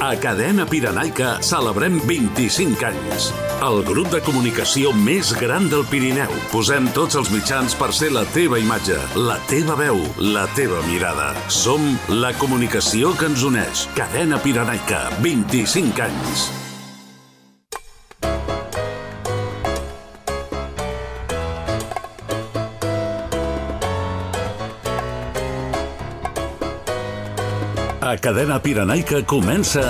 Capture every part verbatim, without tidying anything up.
A Cadena Pirenaica celebrem vint-i-cinc anys. El grup de comunicació més gran del Pirineu. Posem tots els mitjans per ser la teva imatge, la teva veu, la teva mirada. Som la comunicació que ens uneix. Cadena Pirenaica, vint-i-cinc anys. A Cadena Pirenaica comença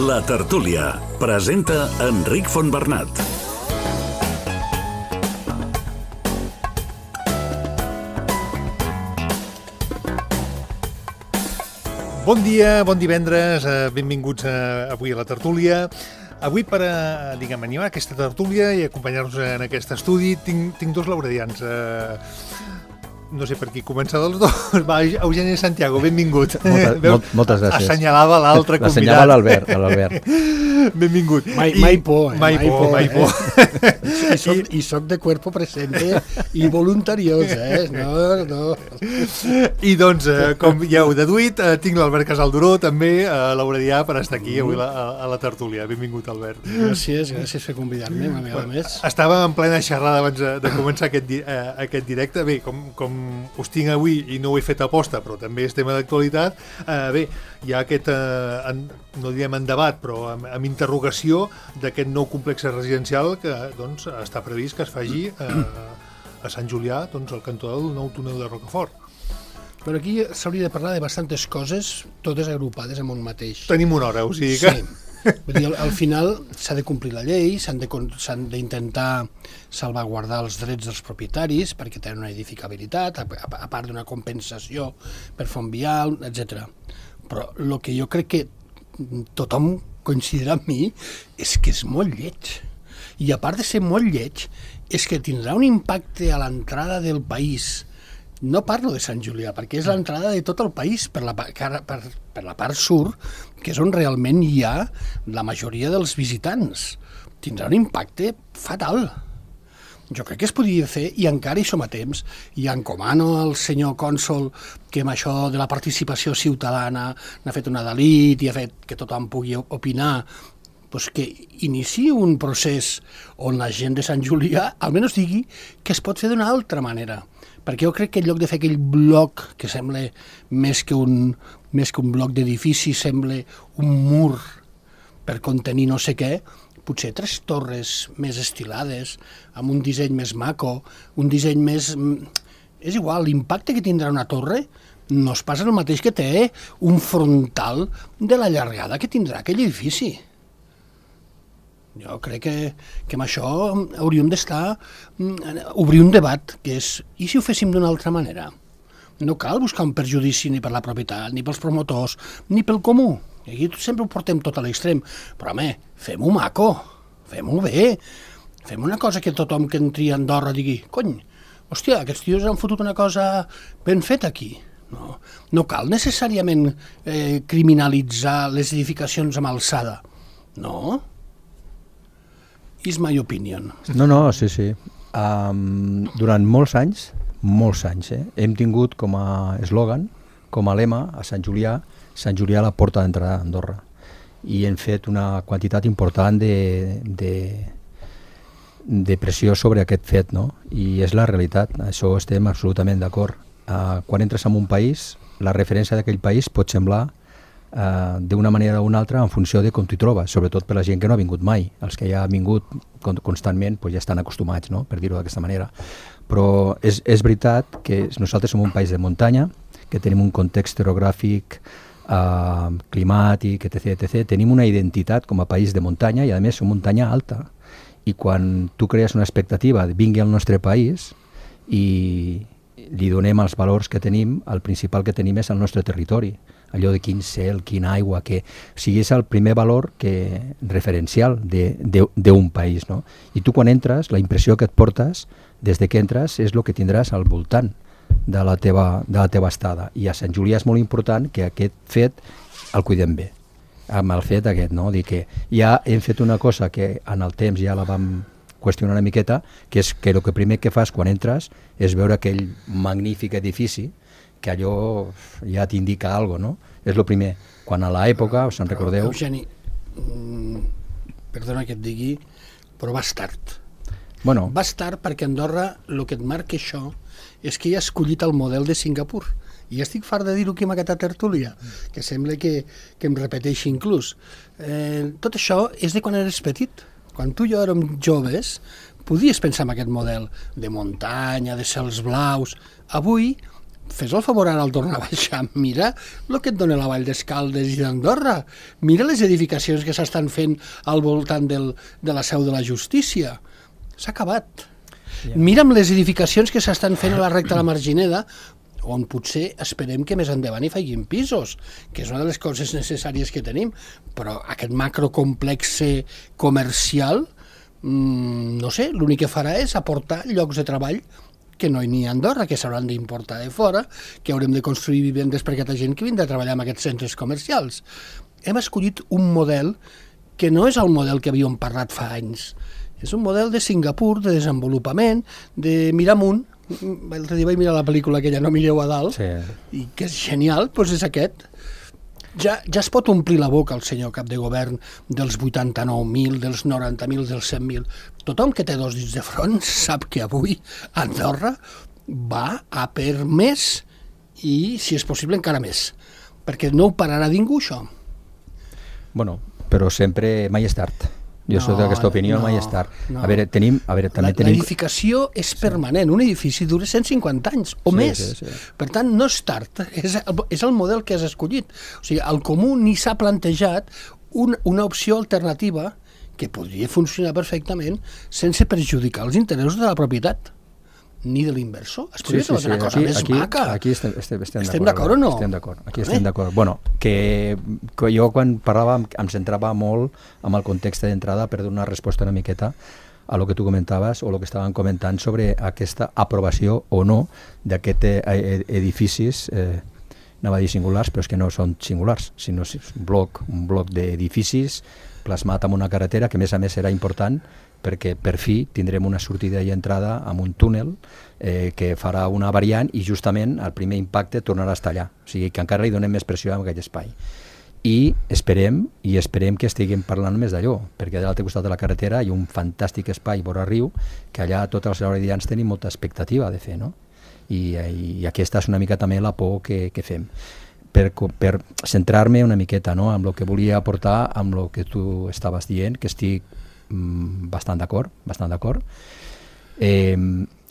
La Tertúlia. Presenta Enric Fontbernat. Bon dia, bon divendres, benvinguts avui a La Tertúlia. Avui per a, diguem, animar aquesta tertúlia i acompanyar-nos en aquest estudi tinc, tinc dos lauredians. Eh, no sé per qui començar dels dos. Va, Eugeni Santiago, benvingut. Moltes, Veu, moltes gràcies. Assenyalava l'altre convidat. L'assenyalava l'Albert, l'Albert. Benvingut. Mai, mai por, eh? Mai, mai por, mai por. Eh? I, soc, I soc de cuerpo presente i voluntariós, eh? No, no. I doncs, eh, com ja heu deduït, eh, tinc l'Albert Casalduró, també, eh, l'auredià, per estar aquí avui la, a, a la tertúlia. Benvingut, Albert. Gràcies, gràcies per convidar-me una vegada més. Estàvem en plena xerrada abans de, de començar aquest, di, eh, aquest directe. Bé, com, com us tinc avui i no ho he fet aposta, però també és tema d'actualitat, eh, bé, hi ha aquest, eh, en, no direm en debat, però amb, amb interrogació d'aquest nou complex residencial que doncs, està previst que es faci eh, a Sant Julià, doncs, al cantó del nou túnel de Rocafort. Però aquí s'hauria de parlar de bastantes coses, totes agrupades en un mateix. Tenim una hora, o sigui que... Sí. Vull dir, al, al final s'ha de complir la llei, s'han de, s'han d'intentar salvaguardar els drets dels propietaris perquè tenen una edificabilitat, a, a, a part d'una compensació per font vial, etcètera. Però el que jo crec que tothom coincidirà amb mi és que és molt lleig. I a part de ser molt lleig, és que tindrà un impacte a l'entrada del país. No parlo de Sant Julià, perquè és l'entrada de tot el país per la, per, per, per la part sud, que és on realment hi ha la majoria dels visitants. Tindrà un impacte fatal. Jo crec que es podria fer, i encara hi som a temps, i encomano al senyor cònsol que amb això de la participació ciutadana n'ha fet una delit i ha fet que tothom pugui opinar, doncs que iniciï un procés on la gent de Sant Julià almenys digui que es pot fer d'una altra manera. Perquè jo crec que en lloc de fer aquell bloc que sembla més que un, més que un bloc d'edifici, sembla un mur per contenir no sé què, potser tres torres més estilades, amb un disseny més maco, un disseny més... És igual, l'impacte que tindrà una torre no es passa el mateix que té un frontal de la llargada que tindrà aquell edifici. Jo crec que, que amb això hauríem d'estar, obrir un debat, que és, i si ho féssim d'una altra manera? No cal buscar un perjudici ni per la propietat, ni pels promotors, ni pel comú. I aquí sempre ho portem tot a l'extrem. Però, home, fem-ho maco, fem-ho bé, fem una cosa que tothom que entri a Andorra digui, cony, hòstia, aquests tios han fotut una cosa ben feta aquí. No, no cal necessàriament eh, criminalitzar les edificacions amb alçada. No? Is my opinion. No, no, sí, sí. Um, durant molts anys, molts anys, eh, hem tingut com a eslògan, com a lema a Sant Julià, Sant Julià la porta d'entrada d'Andorra. I hem fet una quantitat important de, de, de pressió sobre aquest fet, no? I és la realitat, això estem absolutament d'acord. Uh, quan entres en un país, la referència d'aquell país pot semblar Uh, d'una manera o una altra en funció de com t'hi trobes, sobretot per la gent que no ha vingut mai. Els que ja han vingut constantment pues ja estan acostumats, no? Per dir-ho d'aquesta manera. Però és, és veritat que nosaltres som un país de muntanya, que tenim un context orogràfic, uh, climàtic, etcètera, etcètera. Tenim una identitat com a país de muntanya i a més som muntanya alta. I quan tu crees una expectativa de vingui al nostre país i li donem els valors que tenim, el principal que tenim és el nostre territori. Allò de quin cel, quina aigua, que o sigui, és el primer valor que, referencial d'un país, no? I tu quan entres, la impressió que et portes des de que entres és el que tindràs al voltant de la teva, de la teva estada. I a Sant Julià és molt important que aquest fet el cuidem bé, amb el fet aquest, no? Dir que ja hem fet una cosa que en el temps ja la vam qüestionar una miqueta, que és que el que primer que fas quan entres és veure aquell magnífic edifici que allò ja t'indica alguna cosa, no? És el primer. Quan a l'època, us en recordeu... Eugeni, mm, perdona que et digui, però vas tard. Bueno, Vas tard perquè Andorra, el que et marca això, és que ja ha escollit el model de Singapur. I estic fart de dir-ho aquí en aquesta tertúlia, que sembla que, que em repeteixi inclús. Eh, tot això és de quan eres petit. Quan tu i jo érem joves, podies pensar en aquest model de muntanya, de cels blaus. Avui, fes el favor ara al tornar a baixar, mira el que et dona la Vall d'Escaldes i d'Andorra. Mira les edificacions que s'estan fent al voltant del, de la seu de la justícia. S'ha acabat. Yeah. Mira'm les edificacions que s'estan fent a la recta de la Margineda, on potser esperem que més endavant hi facin pisos, que és una de les coses necessàries que tenim, però aquest macrocomplex comercial, mmm, no sé, l'únic que farà és aportar llocs de treball que no hi ha a Andorra, que s'hauran d'importar de fora, que haurem de construir vivendes per aquesta gent que vindrà a treballar en aquests centres comercials. Hem escollit un model que no és el model que havíem parlat fa anys. És un model de Singapur, de desenvolupament, de mirar amunt. L'altre dia vaig mirar la pel·lícula aquella No mireu a dalt, sí. I que és genial, doncs és aquest. Ja, ja es pot omplir la boca el senyor cap de govern dels vuitanta-nou mil, dels noranta mil, dels cent mil. Tothom que té dos dits de front sap que avui Andorra va a per més i, si és possible, encara més. Perquè no ho pararà ningú, això. Bueno, però sempre mai és tard. Jo no, soc d'aquesta opinió, no, mai és tard. No. A veure, tenim... A veure, també la, tenim... L'edificació és permanent, un edifici dura cent cinquanta anys o sí, més. Sí, sí. Per tant, no és tard, és el, és el model que has escollit. O sigui, el comú ni s'ha plantejat un, una opció alternativa que podria funcionar perfectament sense perjudicar els interessos de la propietat ni de l'inversor. Es podria sí, sí, sí. Una cosa aquí, més aquí, maca. Aquí estem, estem, estem, estem d'acord o no? Estem d'acord. Aquí estem eh? d'acord. Bueno, que, que jo quan parlava em centrava molt amb el context d'entrada per donar una resposta una miqueta a lo que tu comentaves o el que estaven comentant sobre aquesta aprovació o no d'aquests edificis, eh, anava a dir singulars, però és que no són singulars, sinó és un bloc, un bloc d'edificis plasmat en una carretera que a més a més serà important perquè per fi tindrem una sortida i entrada amb un túnel eh, que farà una variant i justament el primer impacte tornarà a estar allà. O sigui que encara hi donem més pressió a aquell espai. I esperem, i esperem que estiguem parlant més d'allò, perquè de l'altre costat de la carretera hi ha un fantàstic espai vora riu que allà tots els laureadians tenim molta expectativa de fer, no? I, i aquesta és una mica també la por que, que fem. Per, per centrar-me una miqueta, no?, amb el que volia aportar, amb el que tu estaves dient, que estic bastant d'acord, bastant d'acord. Eh,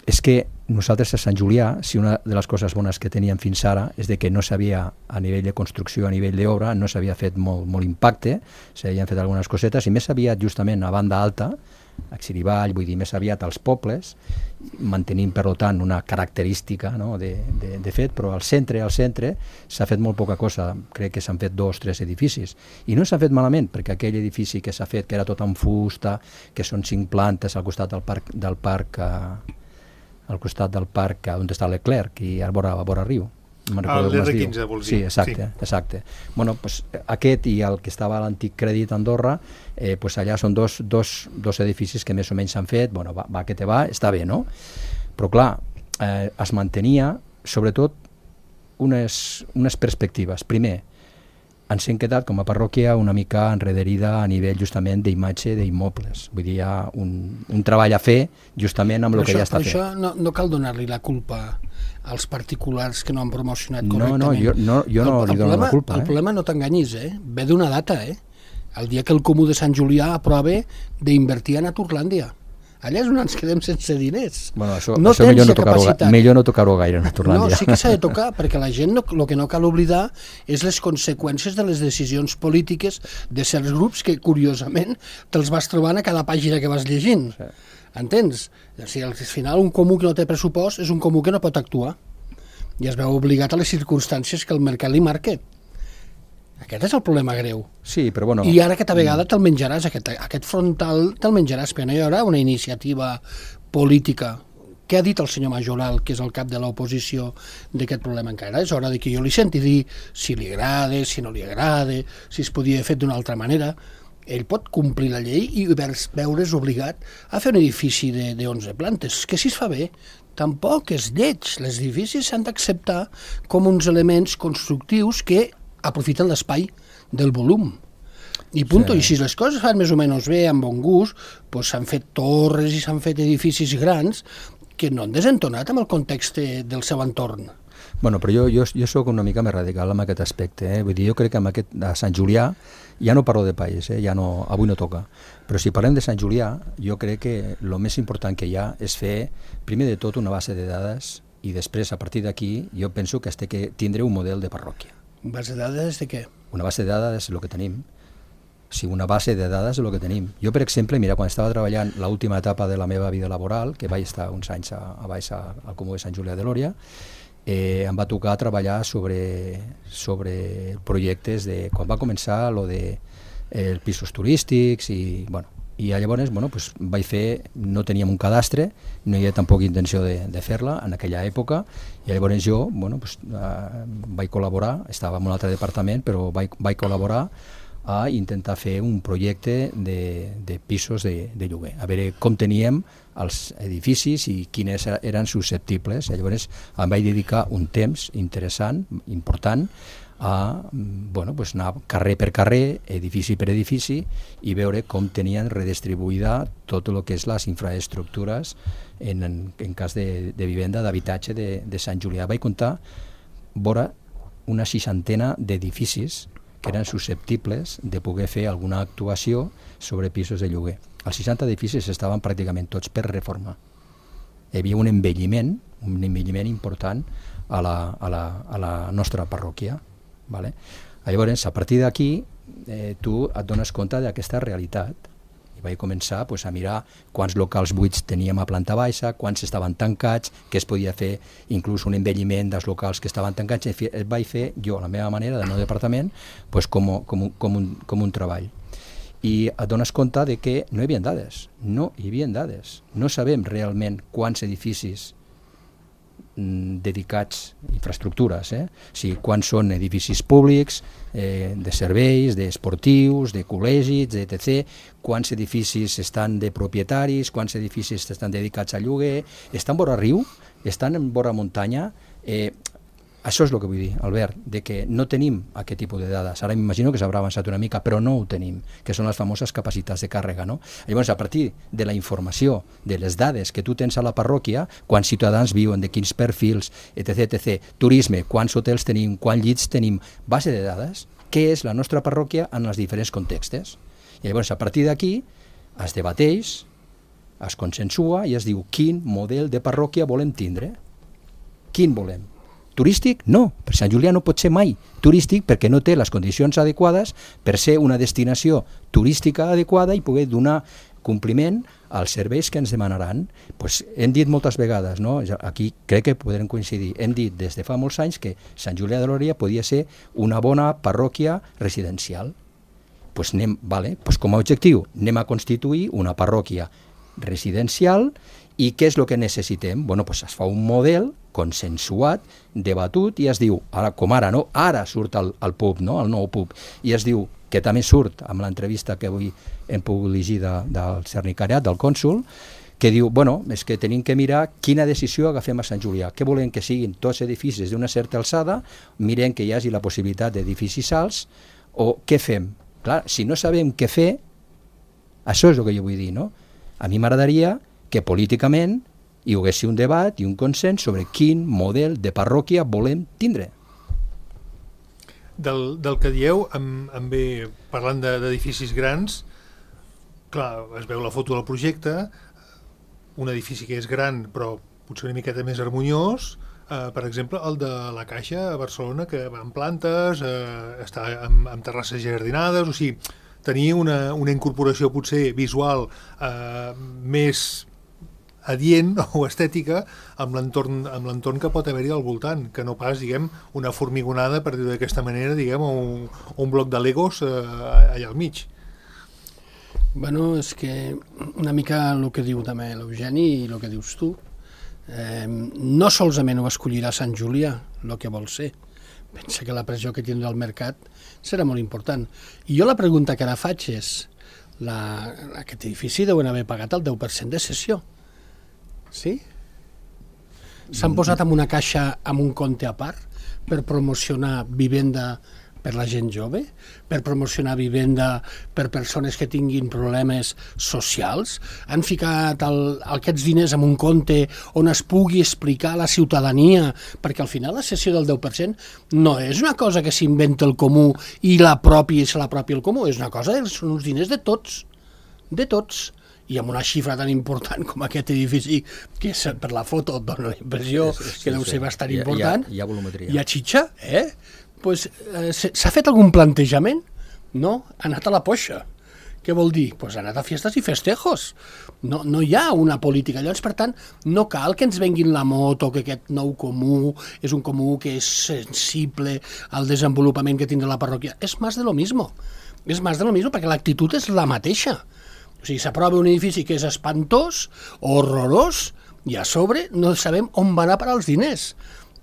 és que nosaltres a Sant Julià, si una de les coses bones que teníem fins ara és de que no s'havia, a nivell de construcció, a nivell d'obra, no s'havia fet molt, molt impacte, s'havien fet algunes cosetes, i més aviat justament a banda alta, a Xirivall, vull dir, més aviat als pobles, mantenint, per tant, una característica, no?, de, de, de fet, però al centre, al centre, s'ha fet molt poca cosa. Crec que s'han fet dos, tres edificis. I no s'ha fet malament, perquè aquell edifici que s'ha fet, que era tot en fusta, que són cinc plantes al costat del parc, del parc eh, al costat del parc on està Leclerc i a vora, a vora riu. l'R quinze, vols dir. Sí, exacte. Sí. exacte. Bueno, pues, aquest i el que estava a l'antic Crèdit Andorra, eh, pues allà són dos, dos, dos edificis que més o menys s'han fet, bueno, va, va que te va, està bé, no? Però clar, eh, es mantenia sobretot unes, unes perspectives. Primer, ens hem quedat com a parròquia una mica enrederida a nivell justament d'imatge d'immobles. Vull dir, hi ha un, un treball a fer justament amb el que ja està fet. Per això no, no cal donar-li la culpa als particulars que no han promocionat correctament. No, no, jo no, jo no el, li dono problema, la culpa. El eh? problema, no t'enganyis, eh? ve d'una data. Eh? El dia que el Comú de Sant Julià aprova d'invertir a Naturlàndia. Allà és on ens quedem sense diners. Bueno, això, no això millor, no tocar-ho, millor no tocar-ho gaire a Naturlàndia. No, sí que s'ha de tocar, perquè la gent no, el que no cal oblidar és les conseqüències de les decisions polítiques de certs grups que, curiosament, te'ls vas trobant a cada pàgina que vas llegint. Sí. Entens? O sigui, al final, un comú que no té pressupost és un comú que no pot actuar. I es veu obligat a les circumstàncies que el mercat li marca. Aquest és el problema greu. Sí, però bueno... I ara aquesta vegada te'l menjaràs, aquest, aquest frontal te'l menjaràs, perquè no hi haurà una iniciativa política. Què ha dit el senyor Majoral, que és el cap de l'oposició d'aquest problema encara? És hora de que jo li senti dir si li agrada, si no li agrada, si es podia fer d'una altra manera. Ell pot complir la llei i veure's obligat a fer un edifici de, de onze plantes, que si es fa bé, tampoc és lleig. Els edificis s'han d'acceptar com uns elements constructius que aprofiten l'espai del volum. I punto. Sí. I si les coses fan més o menys bé, amb bon gust, doncs s'han fet torres i s'han fet edificis grans que no han desentonat amb el context del seu entorn. Bueno, però jo, jo, jo sóc una mica més radical en aquest aspecte. Eh? Vull dir, jo crec que amb aquest, a Sant Julià, ja no parlo de país, eh? ja no, avui no toca, però si parlem de Sant Julià, jo crec que el més important que hi ha és fer, primer de tot, una base de dades i després, a partir d'aquí, jo penso que es té que tindre un model de parròquia. Base de dades de què? Una base de dades és el que tenim. Sí, una base de dades és el que tenim. Jo, per exemple, mira, quan estava treballant l'última etapa de la meva vida laboral, que vaig estar uns anys a, a baix a, al Comú de Sant Julià de Lòria, eh, em va tocar treballar sobre, sobre projectes de... Quan va començar lo de eh, pisos turístics i, bueno, i llavors bueno, pues, vaig fer, no teníem un cadastre, no hi havia tampoc intenció de, de fer-la en aquella època, i llavors jo bueno, pues, eh, vaig col·laborar, estava en un altre departament, però vaig, vaig col·laborar a intentar fer un projecte de, de pisos de, de lloguer, a veure com teníem els edificis i quines eren susceptibles. I llavors em vaig dedicar un temps interessant, important, a bueno, pues anar carrer per carrer, edifici per edifici, i veure com tenien redistribuïda tot el que és les infraestructures en, en, en cas de, de vivenda, d'habitatge de, de Sant Julià. Vaig comptar vora una seixantena d'edificis que eren susceptibles de poder fer alguna actuació sobre pisos de lloguer. Els seixanta edificis estaven pràcticament tots per reformar. Hi havia un envelliment, un envelliment important a la, a la, a la nostra parròquia. Vale? Llavors, a partir d'aquí, eh, tu et dones compte d'aquesta realitat. I vaig començar pues, a mirar quants locals buits teníem a planta baixa, quants estaven tancats, què es podia fer, inclús un envelliment dels locals que estaven tancats. Et vaig fer jo, a la meva manera, del meu departament, pues, com, com, com, un, com un treball. I et dones compte de que no hi havia dades, no hi havia dades. No sabem realment quants edificis dedicats a infraestructures, eh? O sigui, quants són edificis públics, eh, de serveis, d'esportius, de col·legis, etcètera, quants edificis estan de propietaris, quants edificis estan dedicats a lloguer, estan vora riu, estan en vora muntanya, eh, això és el que vull dir, Albert, de que no tenim aquest tipus de dades. Ara m'imagino que s'haurà avançat una mica, però no ho tenim, que són les famoses capacitats de càrrega, no? Llavors, a partir de la informació, de les dades que tu tens a la parròquia, quants ciutadans viuen, de quins perfils, etcètera, etcètera, turisme, quants hotels tenim, quants llits tenim, base de dades, què és la nostra parròquia en els diferents contextes. I llavors, a partir d'aquí, es debateix, es consensua i es diu quin model de parròquia volem tindre. Quin volem? Turístic? No, per Sant Julià no pot ser mai turístic perquè no té les condicions adequades per ser una destinació turística adequada i poder donar compliment als serveis que ens demanaran. Pues hem dit moltes vegades, no? Aquí crec que podrem coincidir, hem dit des de fa molts anys que Sant Julià de Lòria podia ser una bona parròquia residencial. Pues anem, vale, pues com a objectiu anem a constituir una parròquia residencial. I què és el que necessitem? Bueno, pues es fa un model consensuat, debatut, i es diu, ara com ara, no? Ara surt el, el pub, no? El nou pub, i es diu, que també surt amb l'entrevista que avui hem pogut llegir de, del Cernicariat, del cònsul, que diu, bueno, és que tenim que mirar quina decisió agafem a Sant Julià. Què volem que siguin tots edificis d'una certa alçada, mirem que hi hagi la possibilitat d'edificis alts, o què fem? Clar, si no sabem què fer, això és el que jo vull dir, no? A mi m'agradaria que políticament hi hagués un debat i un consens sobre quin model de parròquia volem tindre. Del, del que dieu, em, em ve parlant d'edificis grans, clar, es veu la foto del projecte, un edifici que és gran però potser una miqueta més harmoniós, eh, per exemple el de la Caixa a Barcelona, que va en plantes, eh, està amb, amb terrasses jardinades, o sigui, tenir una, una incorporació potser visual eh, més adient o estètica amb l'entorn amb l'entorn que pot haver-hi al voltant, que no pas, diguem, una formigonada, per dir-ho d'aquesta manera, diguem, o un, un bloc de Legos eh, allà al mig. Bueno, és que una mica el que diu també l'Eugeni i el que dius tu, eh, no solament ho escollirà Sant Julià, el que vol ser. Pensa que la pressió que tindrà el mercat serà molt important. I jo la pregunta que ara faig és, la, aquest edifici deuen haver pagat el deu per cent de cessió. Sí? S'han posat en una caixa amb un compte a part per promocionar vivenda per la gent jove, per promocionar vivenda per persones que tinguin problemes socials. Han ficat el, aquests diners en un compte on es pugui explicar a la ciutadania, perquè al final la cessió del deu per cent no és una cosa que s'inventa el comú i la pròpia i se la pròpia el comú, és una cosa, són uns diners de tots, de tots. I amb una xifra tan important com aquest edifici, que per la foto et dona la impressió sí, sí, que deu ser bastant hi ha, important, hi ha, hi ha volumetria. Hi ha xitxa, eh? Pues, eh, s'ha fet algun plantejament? No? Ha anat a la poixa. Què vol dir? Pues ha anat a fiestes i festejos. No, no hi ha una política. Llavors, per tant, no cal que ens venguin la moto, que aquest nou comú és un comú que és sensible al desenvolupament que tindrà la parròquia. És més de lo mismo. És més de lo mismo perquè l'actitud és la mateixa. O sigui, s'aprova un edifici que és espantós, horrorós, i a sobre no sabem on van a parar els diners.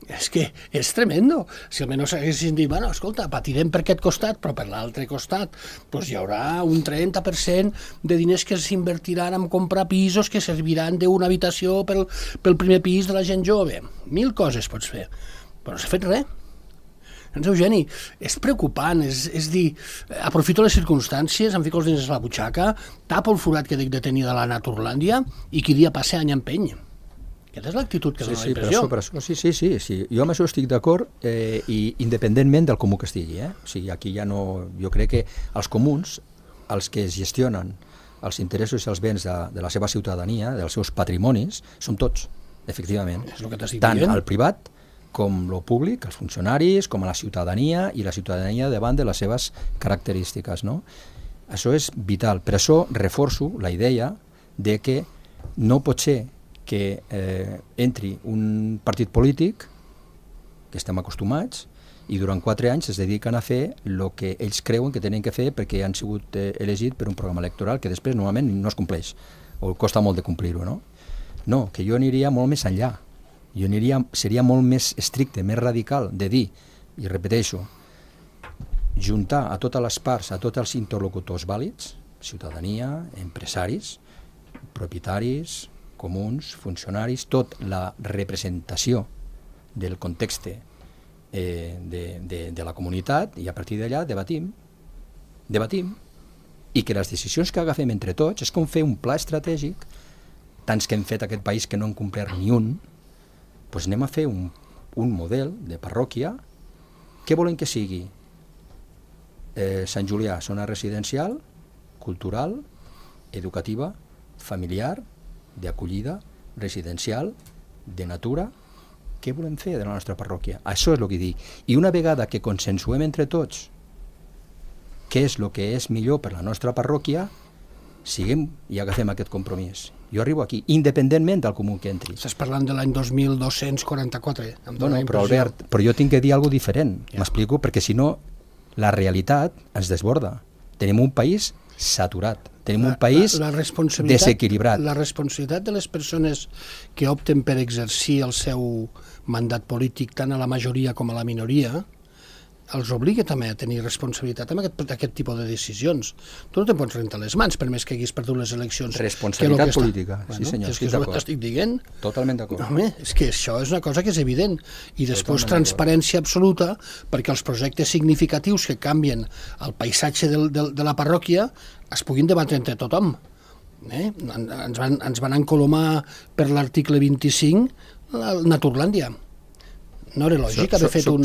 És que és tremendo. Si almenys haguessin dit, bueno, escolta, patirem per aquest costat, però per l'altre costat doncs hi haurà un trenta per cent de diners que s'invertiran en comprar pisos que serviran d'una habitació pel, pel primer pis de la gent jove. Mil coses pots fer, però no s'ha fet res. Doncs, Eugeni, és preocupant, és, és dir, aprofito les circumstàncies, em fico els diners a la butxaca, tapo el forat que dic de tenir de la Naturlàndia i qui dia passa any empeny. Aquesta és l'actitud que sí, dona sí, la impressió. Per això, per això, sí, sí, sí, sí, jo amb això estic d'acord, eh, i independentment del comú que estigui. Eh? O sigui, aquí ja no... Jo crec que els comuns, els que gestionen els interessos i els béns de, de la seva ciutadania, dels seus patrimonis, som tots, efectivament. És el que t'estic tant dient. al privat com lo públic, els funcionaris, com a la ciutadania, i la ciutadania davant de les seves característiques, no? Això és vital. Per això reforço la idea de que no pot ser que eh, entri un partit polític, que estem acostumats, i durant quatre anys es dediquen a fer el que ells creuen que tenen que fer perquè han sigut eh, elegits per un programa electoral que després normalment no es compleix, o costa molt de complir-ho, no? No, que jo aniria molt més enllà. Jo aniria, seria molt més estricte, més radical, de dir, i repeteixo, juntar a totes les parts, a tots els interlocutors vàlids, ciutadania, empresaris, propietaris, comuns, funcionaris, tot la representació del context eh, de, de, de la comunitat, i a partir d'allà debatim, debatim, i que les decisions que agafem entre tots és com fer un pla estratègic, tants que hem fet aquest país que no hem complert ni un, doncs anem a fer un, un model de parròquia. Què volen que sigui? Eh, Sant Julià, zona residencial, cultural, educativa, familiar, d'acollida, residencial, de natura. Què volem fer de la nostra parròquia? Això és el que dic. I una vegada que consensuem entre tots què és el que és millor per la nostra parròquia, siguem i agafem aquest compromís. Jo arribo aquí, independentment del comú que entri. Estàs parlant de l'any dos mil dos-cents quaranta-quatre. Em no, no, però Albert, però jo tinc que dir alguna cosa diferent, ja. M'explico, perquè si no la realitat ens desborda. Tenim un país saturat, tenim la, un país la, la desequilibrat. La responsabilitat de les persones que opten per exercir el seu mandat polític tant a la majoria com a la minoria els obliga també a tenir responsabilitat amb aquest, aquest tipus de decisions. Tu no te'n pots rentar les mans per més que haguis perdut les eleccions. Responsabilitat política, bueno, sí senyor, és que és el que t'estic dient. Totalment d'acord. Home, és que això és una cosa que és evident. I després totalment transparència absoluta perquè els projectes significatius que canvien el paisatge del, del, de la parròquia es puguin debatre entre tothom. Eh? Ens, van, ens van encolomar per l'article vint-i-cinc la Naturlàndia. No era lògic haver fet, un,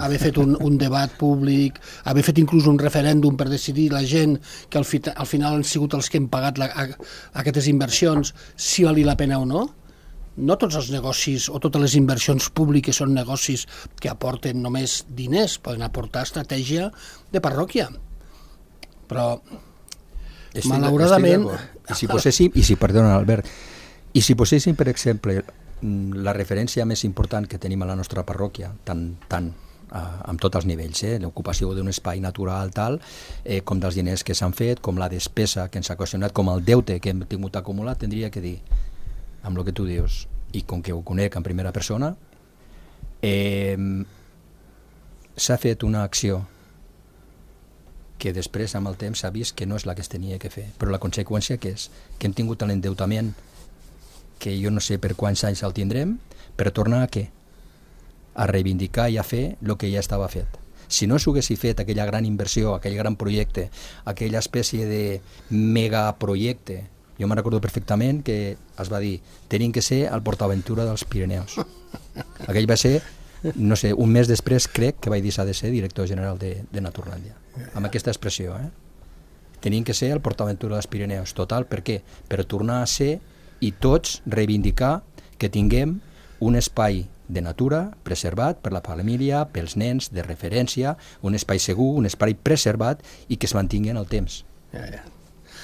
haver fet un, un debat públic, haver fet inclús un referèndum per decidir la gent que al, fi, al final han sigut els que han pagat la, a, aquestes inversions, si vali la pena o no. No tots els negocis o totes les inversions públiques són negocis que aporten només diners, poden aportar estratègia de parròquia. Però, estic, malauradament... I si poséssim, i si, perdona, Albert, i si poséssim, per exemple, la referència més important que tenim a la nostra parròquia, tant, tant eh, amb tots els nivells, eh, l'ocupació d'un espai natural, tal, eh, com dels diners que s'han fet, com la despesa que ens ha ocasionat, com el deute que hem tingut acumulat, tindria que dir, amb el que tu dius, i com que ho conec en primera persona, eh, s'ha fet una acció que després, amb el temps, s'ha vist que no és la que es tenia que fer, però la conseqüència que és que hem tingut l'endeutament que jo no sé per quants anys el tindrem, per tornar a què? A reivindicar i a fer el que ja estava fet. Si no s'haguessi fet aquella gran inversió, aquell gran projecte, aquella espècie de megaprojecte, jo me'n recordo perfectament que es va dir tenim que ser el PortAventura dels Pirineus. Aquell va ser, no sé, un mes després crec que vaig dir s'ha de ser director general de, de Naturlàndia. Amb aquesta expressió, eh? Tenim que ser el PortAventura dels Pirineus. Total, per què? Per tornar a ser i tots reivindicar que tinguem un espai de natura preservat per la família, pels nens, de referència, un espai segur, un espai preservat i que es mantingui en el temps. Ja, ja.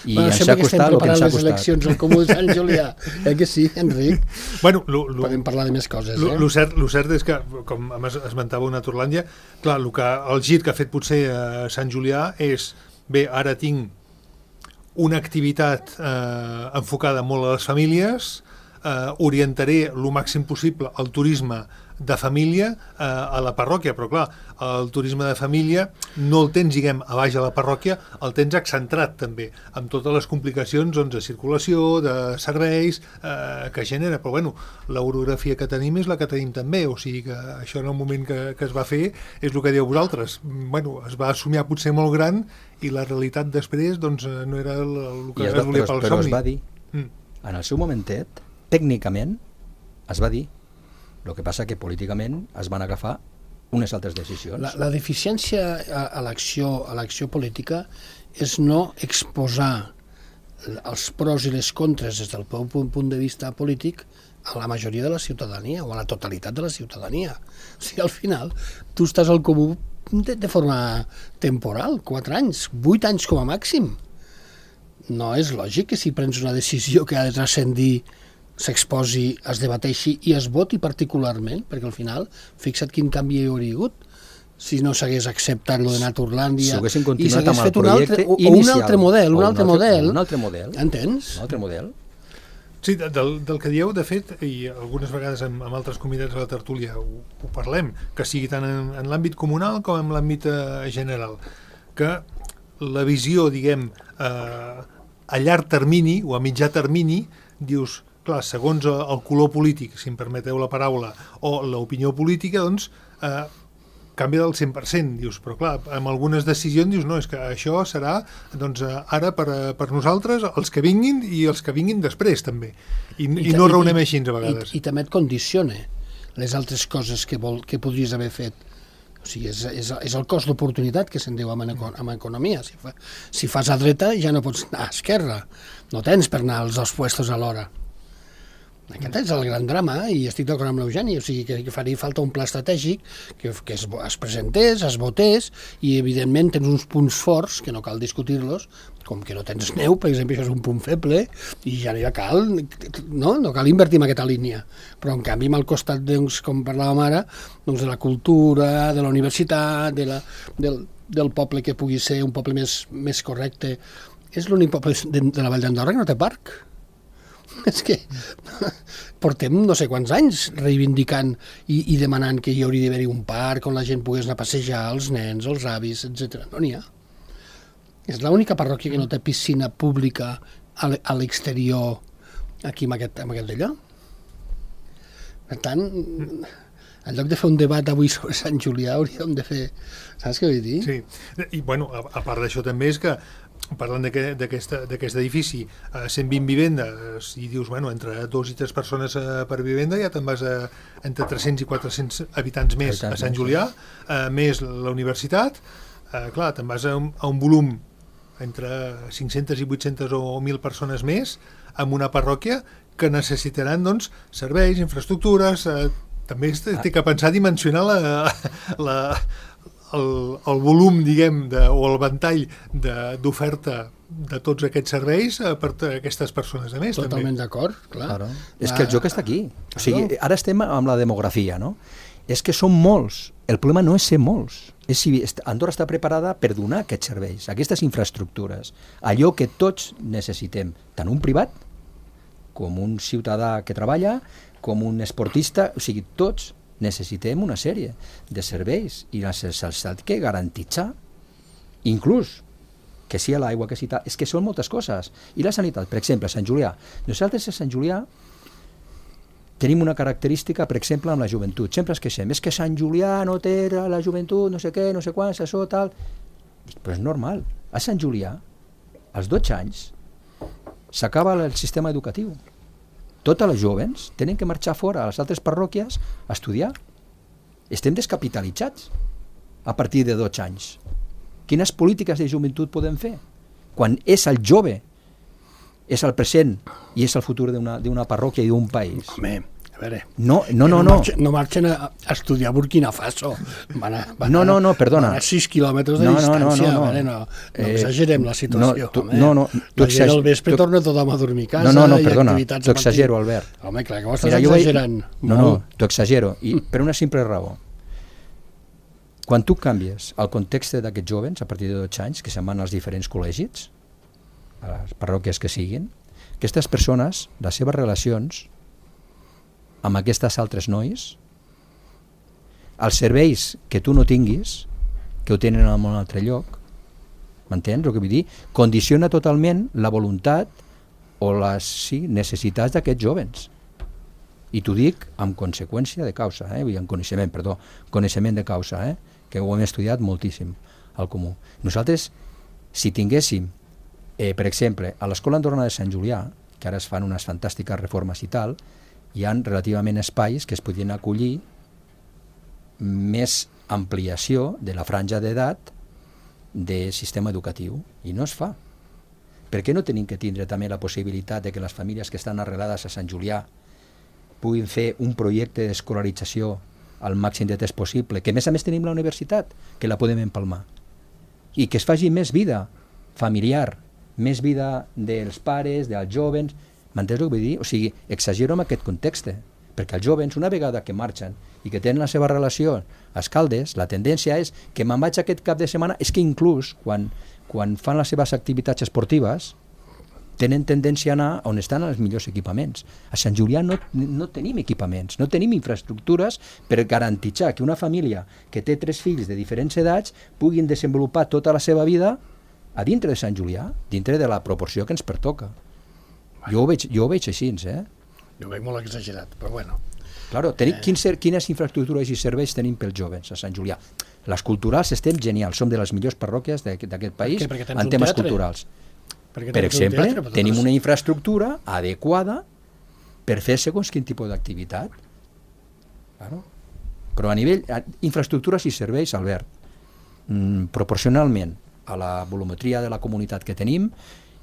I bueno, ens ha costat el que ens ha les costat. eleccions al Comú de Sant Julià. Eh que sí, Enric? Bueno, lo, lo, Podem parlar de més coses, lo, eh? lo, cert, lo cert és que, com esmentava una Naturlàndia, clar, el, que, el gir que ha fet potser a Sant Julià és, bé, ara tinc una activitat eh, enfocada molt a les famílies, eh, orientaré el màxim possible el turisme de família eh, a la parròquia, però clar, el turisme de família no el tens, diguem, a baix a la parròquia, el tens accentrat també, amb totes les complicacions doncs, de circulació, de serveis eh, que genera, però bueno, l'orografia que tenim és la que tenim també, o sigui que això en el moment que, que es va fer és el que dieu vosaltres, bueno, es va somiar potser molt gran i la realitat després doncs no era el, el que I es, es volia però, pel però somni. es va dir, Mm. en el seu momentet, tècnicament, es va dir. El que passa que políticament es van agafar unes altres decisions. La, la deficiència a, a l'acció a l'acció política és no exposar els pros i les contres des del punt, punt de vista polític a la majoria de la ciutadania o a la totalitat de la ciutadania. O sigui, al final, tu estàs al comú de, de forma temporal, quatre anys, vuit anys com a màxim. No és lògic que si prens una decisió que ha de transcendir s'exposi, es debateixi i es voti particularment, perquè al final, fixa't quin canvi hi hauria hagut si no s'hagués acceptat lo de Naturlàndia si haguessin i continuat s'hagués amb el fet un altre, projecte o, o inicial. un altre model, un, O altre model, un altre model. Entens? Un altre model. Sí, del, del que dieu, de fet, i algunes vegades amb, amb altres convidats a la tertúlia ho, ho parlem, que sigui tant en, en l'àmbit comunal com en l'àmbit eh, general, que la visió, diguem, eh, a llarg termini o a mitjà termini, dius, clar, segons el color polític, si em permeteu la paraula, o l'opinió política, doncs, eh, canvia del cent per cent, dius, però clar, amb algunes decisions dius, no, és que això serà, doncs, ara per, per nosaltres, els que vinguin i els que vinguin després, també. I, i, i no raonem així, a vegades. I, i també et condiciona les altres coses que, vol, que podries haver fet. O sigui, és, és, és el cost d'oportunitat que se'n diu en, en economia. Si, fa, si fas a dreta ja no pots anar a esquerra. No tens per anar als dos puestos alhora. Aquest és el gran drama, i estic d'acord amb l'Eugeni, o sigui que, que faria falta un pla estratègic que, que es, es presentés, es votés, i evidentment tens uns punts forts, que no cal discutir-los, com que no tens neu, per exemple, això és un punt feble, i ja no hi cal, no, no cal invertir en aquesta línia. Però en canvi, al costat, doncs, com parlàvem ara, doncs, de la cultura, de la universitat, de la, del, del poble que pugui ser un poble més, més correcte, és l'únic poble de, de la Vall d'Andorra que no té parc. És que portem no sé quants anys reivindicant i, i demanant que hi hauria d'haver-hi un parc on la gent pogués anar a passejar, els nens, els avis, etcètera. No n'hi ha. És l'única parròquia que no té piscina pública a l'exterior aquí en aquest, en aquest d'allò. Per tant, en lloc de fer un debat avui sobre Sant Julià hauríem de fer... Saps què vull dir? Sí, i bueno, a, a part d'això també és que parlant d'aquest edifici, eh, cent vint vivendes, i dius, bueno, entre dos i tres persones eh, per vivenda, ja te'n vas a entre tres-cents i quatre-cents habitants més a Sant Julià, eh, més la universitat, eh, clar, te'n vas a un, a un volum entre cinc-centes i vuit-centes o mil persones més, amb una parròquia que necessitaran, doncs, serveis, infraestructures, eh, també té que pensar dimensionar la... la El, el volum, diguem, de, o el ventall d'oferta de, de tots aquests serveis per a aquestes persones a més. Totalment d'acord, clar. Claro. És que el joc està aquí. O sigui, ara estem amb la demografia, no? És que són molts. El problema no és ser molts. És si Andorra està preparada per donar aquests serveis, aquestes infraestructures, allò que tots necessitem, tant un privat com un ciutadà que treballa, com un esportista, o sigui, tots necessitem una sèrie de serveis i la necessitat que garantitzar, inclús que sigui l'aigua, que sigui tal, és que són moltes coses. I la sanitat, per exemple, a Sant Julià. Nosaltres a Sant Julià tenim una característica, per exemple, amb la joventut. Sempre es queixem, és que Sant Julià no té la joventut, no sé què, no sé quants, això, tal... Però és normal. A Sant Julià, als dotze anys, s'acaba el sistema educatiu. Totes les jovens tenen que marxar fora a les altres parròquies a estudiar. Estem descapitalitzats a partir de dotze anys. Quines polítiques de joventut podem fer? Quan és el jove, és el present i és el futur d'una parròquia i d'un país. Home, a veure... No, no, no. No, marxen, no marxen a, a estudiar a Burkina Faso. Van a, van no, no, no, perdona. Van a sis quilòmetres de no, distància. No, no, no, no. Veure, no, no exagerem la situació. No, tu, home. no, no, tu la gent al vespre tu, torna tothom a dormir a casa. No, no, no, i perdona, activitats t'ho exagero, Albert. Home, clar, que ho estàs Mira, exagerant. Vaig... No, no, t'ho exagero, i per una simple raó. Quan tu canvies el context d'aquests jovens, a partir de dotze anys, que se'n van als diferents col·legis, a les parròquies que siguin, aquestes persones, les seves relacions amb aquestes altres nois, els serveis que tu no tinguis, que ho tenen en un altre lloc, m'entens el que vull dir? Condiciona totalment la voluntat o les sí, necessitats d'aquests jovens. I t'ho dic amb conseqüència de causa, eh? amb coneixement, perdó, coneixement de causa, eh? que ho hem estudiat moltíssim al comú. Nosaltres, si tinguéssim Eh, per exemple, a l'Escola Andorrana de Sant Julià, que ara es fan unes fantàstiques reformes i tal, hi ha relativament espais que es podrien acollir més ampliació de la franja d'edat del sistema educatiu, i no es fa. Per què no tenim que tindre també la possibilitat de que les famílies que estan arrelades a Sant Julià puguin fer un projecte d'escolarització al màxim de temps possible, que a més a més tenim la universitat, que la podem empalmar, i que es faci més vida familiar, més vida dels pares, dels jovens, m'entens el que vull dir? O sigui, exagero en aquest context, perquè els jovens, una vegada que marxen i que tenen la seva relació a Escaldes, la tendència és que me'n vaig aquest cap de setmana, és que inclús quan, quan fan les seves activitats esportives tenen tendència a anar on estan els millors equipaments. A Sant Julià no, no tenim equipaments, no tenim infraestructures per garantir que una família que té tres fills de diferents edats puguin desenvolupar tota la seva vida a dintre de Sant Julià, dintre de la proporció que ens pertoca. Jo ho veig, jo ho veig així, eh? Jo ho veig molt exagerat, però bueno. Claro, tenim, eh... quins, quines infraestructures i serveis tenim pels jovens a Sant Julià? Les culturals estem genials, som de les millors parròquies d'aquest país en temes culturals. Per exemple, teatre, tenim una infraestructura adequada per fer segons quin tipus d'activitat. Claro. Però a nivell, infraestructures i serveis, Albert, mm, proporcionalment a la volumetria de la comunitat que tenim,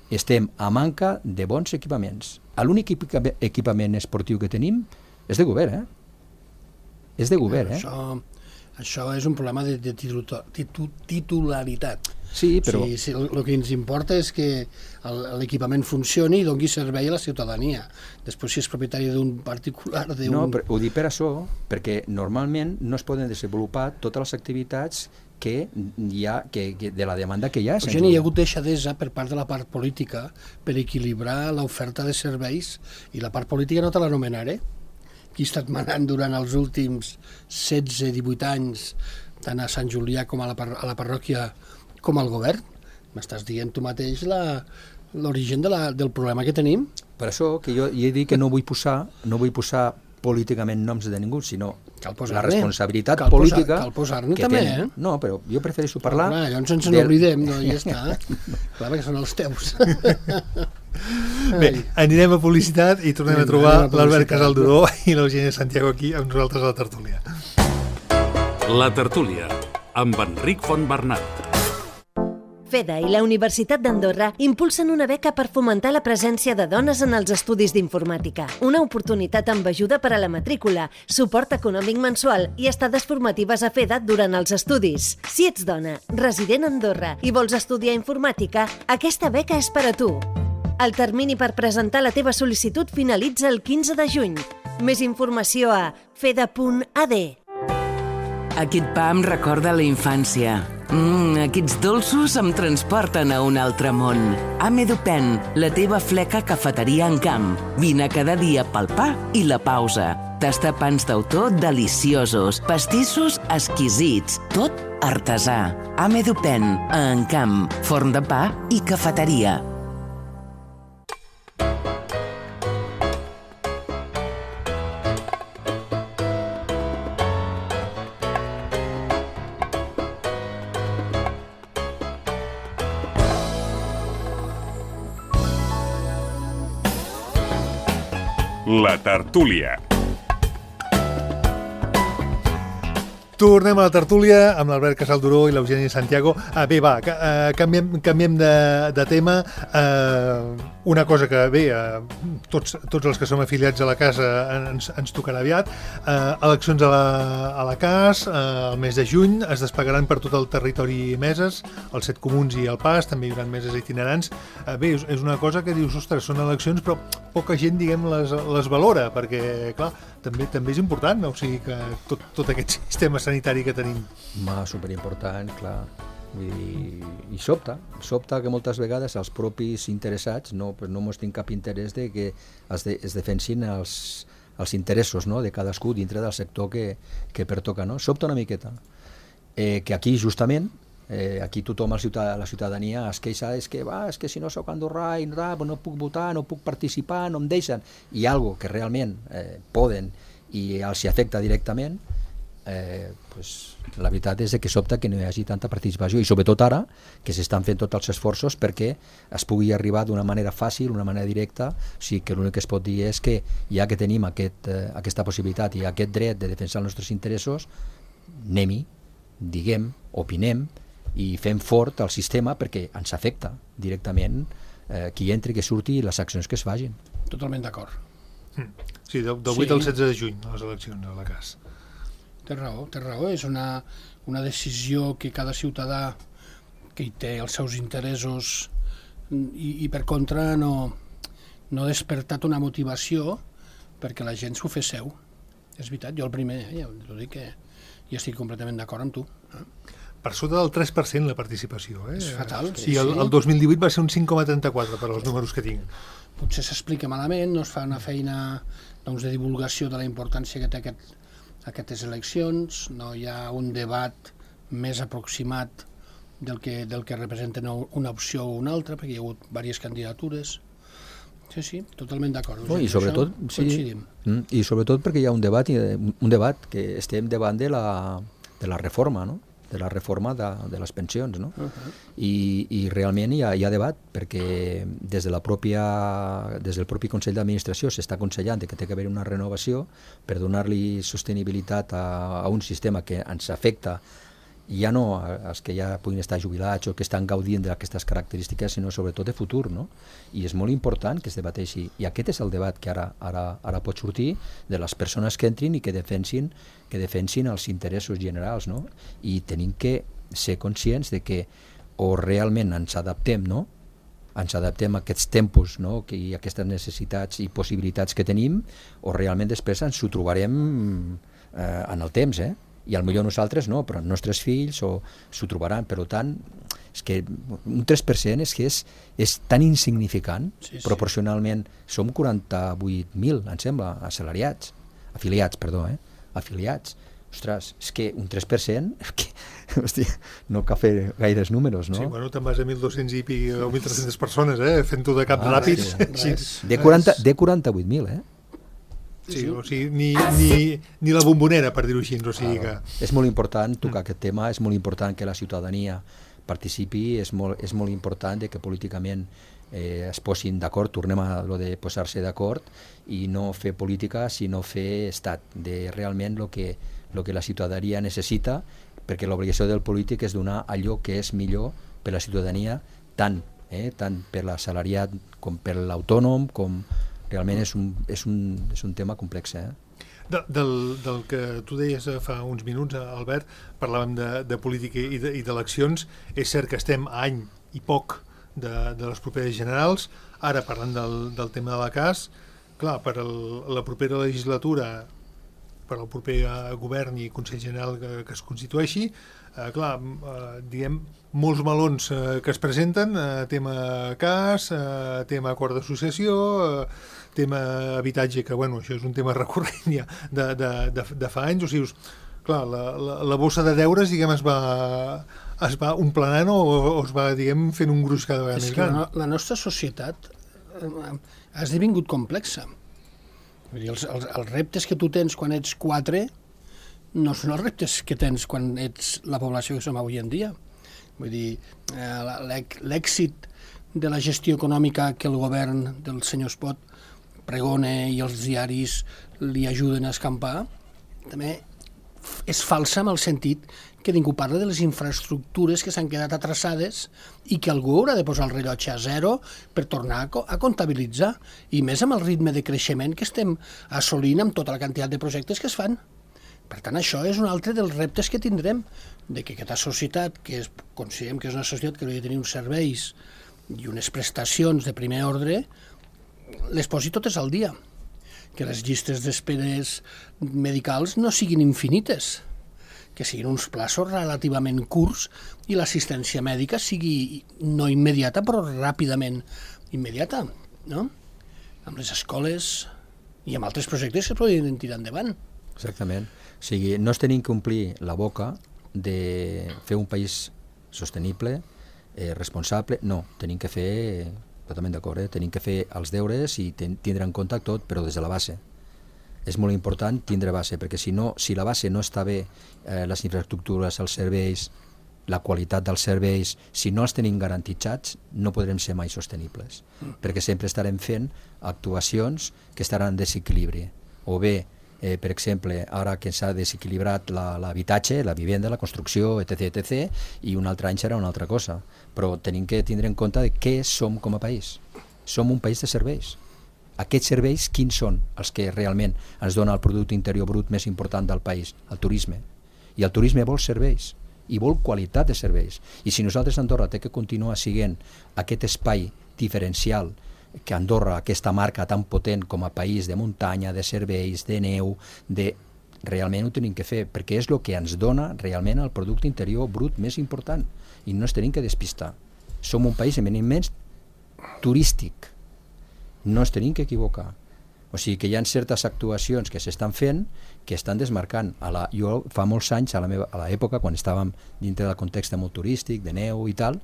estem a manca de bons equipaments. L'únic equipament esportiu que tenim és de govern, eh? És de govern, eh? Això, això és un problema de, de titularitat. Sí, però... Sí, sí, el, el que ens importa és que l'equipament funcioni i doni servei a la ciutadania. Després, si és propietari d'un particular... No, però ho dic per això, perquè normalment no es poden desenvolupar totes les activitats que hi ha, que, que de la demanda que hi ha. Gent, hi ha hagut deixadesa per part de la part política per equilibrar l'oferta de serveis, i la part política no te l'anomenaré. Qui ha estat manant durant els últims setze divuit anys, tant a Sant Julià com a la, a la parròquia com al govern? M'estàs dient tu mateix l'origen de la, del problema que tenim? Per això que jo he dit que no vull posar, no vull posar políticament noms de ningú, sinó la responsabilitat cal política cal posar-ne que també, tenen. Eh? No, però jo prefereixo parlar... Clar, llavors ens del... n'oblidem, no? I ja està. Clar, perquè són els teus. Bé, anirem a publicitat i tornem a trobar l'Albert Casalduró i l'Eugènia Santiago aquí amb nosaltres a la tertúlia. La tertúlia, amb Enric Fontbernat. FEDA i la Universitat d'Andorra impulsen una beca per fomentar la presència de dones en els estudis d'informàtica. Una oportunitat amb ajuda per a la matrícula, suport econòmic mensual i estades formatives a FEDA durant els estudis. Si ets dona, resident a Andorra i vols estudiar informàtica, aquesta beca és per a tu. El termini per presentar la teva sol·licitud finalitza el quinze de juny. Més informació a feda punt a d. Aquest pa em recorda la infància. Mm, aquests dolços em transporten a un altre món. Amedupen, la teva fleca cafeteria en camp. Vine cada dia pel pa i la pausa. Tasta pans d'autor deliciosos, pastissos exquisits, tot artesà. Amedupen, a Encamp, forn de pa i cafeteria. La tertúlia. Tornem a la tertúlia amb l'Albert Casalduró i l'Eugeni Santiago. Ah, bé, va, uh, canviem, canviem de, de tema. Uh, una cosa que, bé, uh, tots, tots els que som afiliats a la casa ens, ens tocarà aviat. Uh, eleccions a la, a la C A S, uh, el mes de juny, es desplegaran per tot el territori meses, els set comuns i el P A S, també hi haurà meses itinerants. Uh, bé, és, és una cosa que dius, ostres, són eleccions, però poca gent, diguem, les, les valora, perquè, clar, també també és important, no? O sigui que tot, tot aquest sistema sanitari que tenim. Ma, superimportant, clar. Vull dir, i sobta, sobta que moltes vegades els propis interessats no, pues no mostrin cap interès de que es, de, es defensin els, els interessos, no?, de cadascú dintre del sector que, que pertoca, no? Sobta una miqueta. Eh, que aquí, justament, eh, aquí tothom, a la, ciutad, la ciutadania, es queixa, és que, va, és que si no soc andorrà i no, no puc votar, no puc participar, no em deixen. I algo que realment eh, poden i els hi afecta directament, eh, pues, la veritat és que sobta que no hi hagi tanta participació, i sobretot ara que s'estan fent tots els esforços perquè es pugui arribar d'una manera fàcil, d'una manera directa. O sigui que l'únic que es pot dir és que ja que tenim aquest, eh, aquesta possibilitat i aquest dret de defensar els nostres interessos, anem-hi, diguem, opinem i fem fort el sistema perquè ens afecta directament eh, qui entri, que surti i les accions que es facin. Totalment d'acord. Mm. Sí, del, del vuit sí. al setze de juny, les eleccions a la C A S. Té raó, té raó. És una, una decisió que cada ciutadà que hi té els seus interessos i, i per contra no, no ha despertat una motivació perquè la gent s'ho fes seu. És veritat, jo el primer, eh, ja t'ho dic que ja estic completament d'acord amb tu. Eh? Per sota del tres per cent la participació. Eh? És fatal. Sí, sí, el, el dos mil divuit va ser un cinc coma trenta-quatre per als números que tinc. Potser s'explica malament, no es fa una feina doncs, de divulgació de la importància que té aquest, aquestes eleccions, no hi ha un debat més aproximat del que, del que representen una opció o una altra, perquè hi ha hagut diverses candidatures. Sí, sí, totalment d'acord. No, i sobretot, sí, i sobretot perquè hi ha un debat, un debat que estem davant de la, de la reforma, no? de la reforma de, de les pensions, no? Uh-huh. I, i realment hi ha, hi ha debat, perquè des, de la pròpia, des del propi Consell d'Administració s'està aconsellant que té que haver una renovació per donar-li sostenibilitat a, a un sistema que ens afecta ja no als que ja puguin estar jubilats o que estan gaudint d'aquestes característiques, sinó sobretot de futur, no? I és molt important que es debateixi, i aquest és el debat que ara, ara, ara pot sortir de les persones que entrin i que defensin, que defensin els interessos generals, no? I tenim que ser conscients de que o realment ens adaptem, no? ens adaptem a aquests tempos, no? que i aquestes necessitats i possibilitats que tenim, o realment després ens ho trobarem eh, en el temps, eh? I potser nosaltres no, però els nostres fills o s'ho trobaran. Per tant, és que un tres per cent és que és, és tan insignificant, sí, sí. Proporcionalment. Som quaranta-vuit mil, em sembla, assalariats, afiliats, perdó, eh? afiliats. Ostres, és que un tres per cent, que, hòstia, no cal fer gaires números, no? Sí, bueno, te'n vas a mil dos-cents i pic o mil tres-cents persones, eh? Fent-ho de cap ah, ràpid. Sí. De, quaranta, de quaranta-vuit mil, eh? Sí, o sigui, ni, ni, ni la bombonera, per dir-ho així. O sigui que... És molt important tocar aquest tema, és molt important que la ciutadania participi, és molt, és molt important que políticament eh, es posin d'acord, tornem a lo de posar-se d'acord i no fer política, sinó fer estat, de realment el que, lo que la ciutadania necessita, perquè l'obligació del polític és donar allò que és millor per la ciutadania, tant, eh, tant per l'assalariat com per l'autònom, com... Realment és un, és un, és un tema complex. Eh? De, del, del que tu deies fa uns minuts, Albert, parlàvem de, de política i d'eleccions. És cert que estem a any i poc de, de les properes generals. Ara, parlant del, del tema de la C A S, clar, per el, la propera legislatura, per al proper govern i Consell General que, que es constitueixi, eh, clar, eh, diguem, molts melons eh, que es presenten, eh, tema C A S, eh, tema acord d'associació, eh, tema habitatge, que bueno, això és un tema recurrent ja de, de, de, de fa anys. O sigui, clar, la, la, la bossa de deures, diguem, es va, es va omplenant o, o es va, diguem, fent un gruix cada vegada és més gran. La, la nostra societat ha esdevingut complexa. Vull dir, els, els, els reptes que tu tens quan ets quatre no són els reptes que tens quan ets la població que som avui en dia. Vull dir, eh, l'èxit de la gestió econòmica que el govern del senyor Espot pregona i els diaris li ajuden a escampar, també és falsa en el sentit que ningú parla de les infraestructures que s'han quedat atrasades i que algú haurà de posar el rellotge a zero per tornar a, a comptabilitzar, i més amb el ritme de creixement que estem assolint amb tota la quantitat de projectes que es fan. Per tant, això és un altre dels reptes que tindrem, de que aquesta societat, que és, considerem que és una societat que hauria de tenir uns serveis i unes prestacions de primer ordre, les posi totes al dia. Que les llistes d'esperes medicals no siguin infinites, que siguin uns plaços relativament curts i l'assistència mèdica sigui no immediata, però ràpidament immediata, no? Amb les escoles i amb altres projectes que es podrien tirar endavant. Exactament. O sigui, no es tenim que omplir la boca de fer un país sostenible, eh, responsable, no, tenim que fer, totalment d'acord, eh? tenim que fer els deures i ten, tindre en compte tot, però des de la base. És molt important tindre base, perquè si no, si la base no està bé, eh, les infraestructures, els serveis, la qualitat dels serveis, si no els tenim garantitzats, no podrem ser mai sostenibles, mm. perquè sempre estarem fent actuacions que estaran en desequilibri, o bé Eh, per exemple, ara que s'ha desequilibrat l'habitatge, la, la vivenda, la construcció, etc, etc, i un altre any serà una altra cosa. Però tenim que tindre en compte de què som com a país. Som un país de serveis. Aquests serveis, quins són els que realment ens dona el producte interior brut més important del país? El turisme. I el turisme vol serveis, i vol qualitat de serveis. I si nosaltres, Andorra, té que continuar siguent aquest espai diferencial que Andorra, aquesta marca tan potent com a país de muntanya, de serveis, de neu, de... realment ho tenim que fer, perquè és el que ens dona realment el producte interior brut més important, i no ens tenim que despistar. Som un país eminentment turístic, no ens tenim que equivocar. O sigui que hi ha certes actuacions que s'estan fent que estan desmarcant. A la, jo fa molts anys, a la meva, a l'època, quan estàvem dintre del context molt turístic, de neu i tal,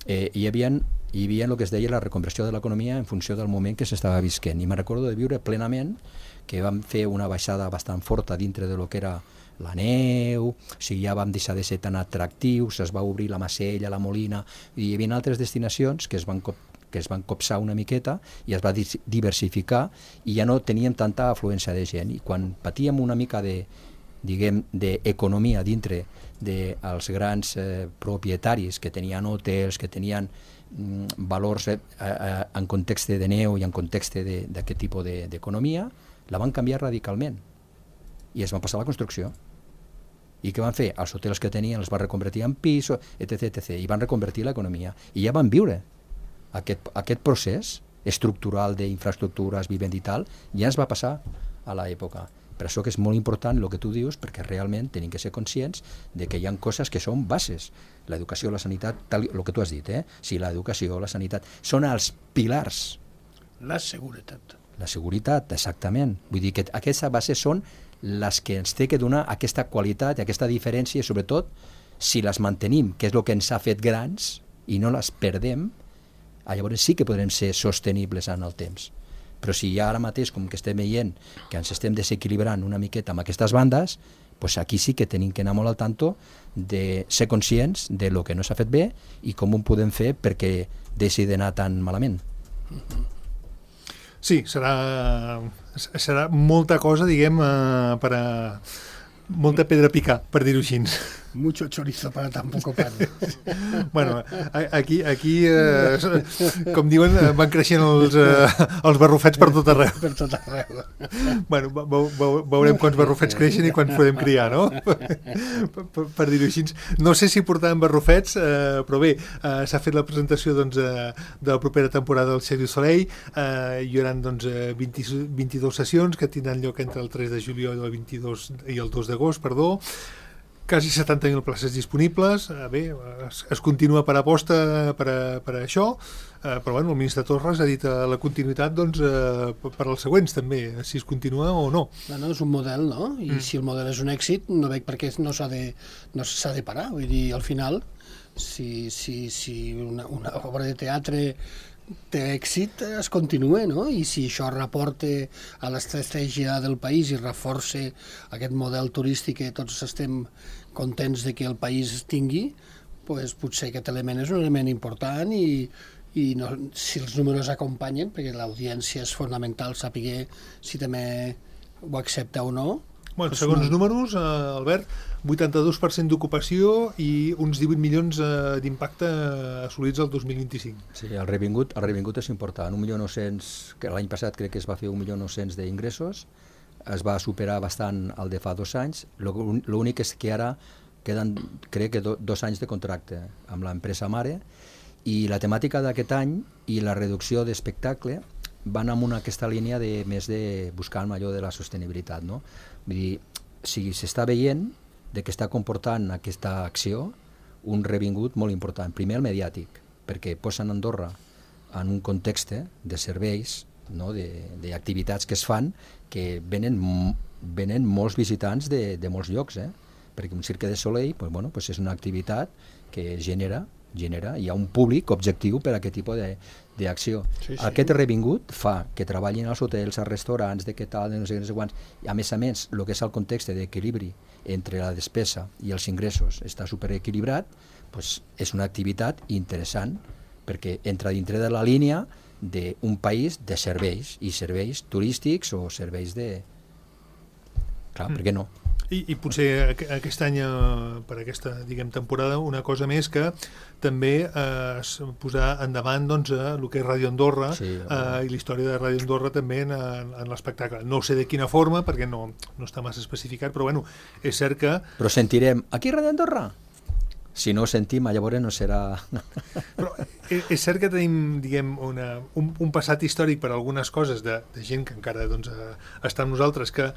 eh, hi havia hi havia el que es deia la reconversió de l'economia en funció del moment que s'estava visquent, i me'n recordo de viure plenament que vam fer una baixada bastant forta dintre de lo que era la neu, o sigui, ja vam deixar de ser tan atractius, es va obrir la Macella, la Molina, i hi havia altres destinacions que es van cop que es van copsar una miqueta i es va diversificar i ja no teníem tanta afluència de gent, i quan patíem una mica de diguem, d'economia dintre dels grans eh, propietaris que tenien hotels, que tenien mm, valors eh, eh, en context de neu i en context d'aquest tipus d'economia, de, la van canviar radicalment i es van passar a la construcció. I què van fer? Els hotels que tenien els van reconvertir en pisos, etc, etc, i van reconvertir l'economia. I ja van viure aquest, aquest procés estructural d'infraestructures, vivenda i tal, ja ens va passar a l'època. Per això que és molt important el que tu dius, perquè realment tenim que ser conscients de que hi ha coses que són bases. L'educació, la sanitat, tal, el que tu has dit, eh? Sí, l'educació, la sanitat, són els pilars. La seguretat. La seguretat, exactament. Vull dir que aquestes bases són les que ens té que donar aquesta qualitat i aquesta diferència, i sobretot, si les mantenim, que és el que ens ha fet grans, i no les perdem, llavors sí que podrem ser sostenibles en el temps. Però si ja ara mateix, com que estem veient que ens estem desequilibrant una miqueta amb aquestes bandes, doncs aquí sí que tenim que anar molt al tanto de ser conscients de lo que no s'ha fet bé i com ho podem fer perquè deixi d'anar tan malament. Sí, serà, serà molta cosa, diguem, eh, per a... molta pedra a picar, per dir-ho així. Mucho chorizo para tan poco pan. Bueno, aquí, aquí eh, com diuen, van creixent els, eh, els barrufets per tot arreu. Per tot arreu. Bueno, veurem quants barrufets creixen i quants podem criar, no? Per, per, per dir-ho així. No sé si portaven barrufets, eh, però bé, eh, s'ha fet la presentació doncs, eh, de la propera temporada del Cirque du Soleil. Eh, hi haurà doncs, vint, vint-i-dues sessions que tindran lloc entre el tres de juliol i el, vint-i-dos, i el dos d'agost, perdó. Quasi setanta mil places disponibles. Eh, bé, es, es continua per aposta per, a, per a això, eh, però bueno, el ministre Torres ha dit eh, la continuïtat doncs, eh, per als següents també, si es continua o no. Bueno, és un model, no? I mm. si el model és un èxit, no veig per què no s'ha de, no s'ha de parar. Vull dir, al final, si, si, si una, una obra de teatre té èxit, es continua, no? I si això reporta a l'estratègia del país i reforça aquest model turístic que tots estem contents de que el país tingui, pues potser aquest element és un element important i, i no, si els números acompanyen, perquè l'audiència és fonamental saber si també ho accepta o no. Bueno, pues segons no. números, eh, Albert, vuitanta-dos per cent d'ocupació i uns divuit milions eh, d'impacte assolits el dos mil vint-i-cinc. Sí, el revingut, el revingut és important. un milió nou-cents, que l'any passat crec que es va fer un milió nou-cents d'ingressos, es va superar bastant el de fa dos anys. L'únic és que ara queden, crec que do, dos anys de contracte amb l'empresa mare, i la temàtica d'aquest any i la reducció d'espectacle van amb una, aquesta línia de més de buscar allò de la sostenibilitat, no? Vull dir, si s'està veient de que està comportant aquesta acció un revingut molt important. Primer el mediàtic, perquè posen Andorra en un context de serveis, no? d'activitats que es fan, que venen, venen molts visitants de, de molts llocs, eh? Perquè un Cirque de Soleil pues, bueno, pues és una activitat que genera, genera, hi ha un públic objectiu per a aquest tipus d'acció. Sí, sí. Aquest revingut fa que treballin als hotels, als restaurants, de què tal, de no sé, no sé quants, i a més a més, el que és el context d'equilibri entre la despesa i els ingressos està superequilibrat, pues és una activitat interessant, perquè entra dintre de la línia d'un país de serveis, i serveis turístics o serveis de... Clar, per què no? I, i potser aquest any, per aquesta diguem temporada, una cosa més que també eh, posar endavant doncs, el que és Ràdio Andorra, sí, eh, i la història de Ràdio Andorra també en, en l'espectacle. No sé de quina forma, perquè no, no està massa especificat, però bueno, és cert que... Però sentirem, aquí Ràdio Andorra? Si no ho sentim, llavors no serà... Però és cert que tenim, diguem, una, un, un passat històric per algunes coses de, de gent que encara doncs, està amb nosaltres, que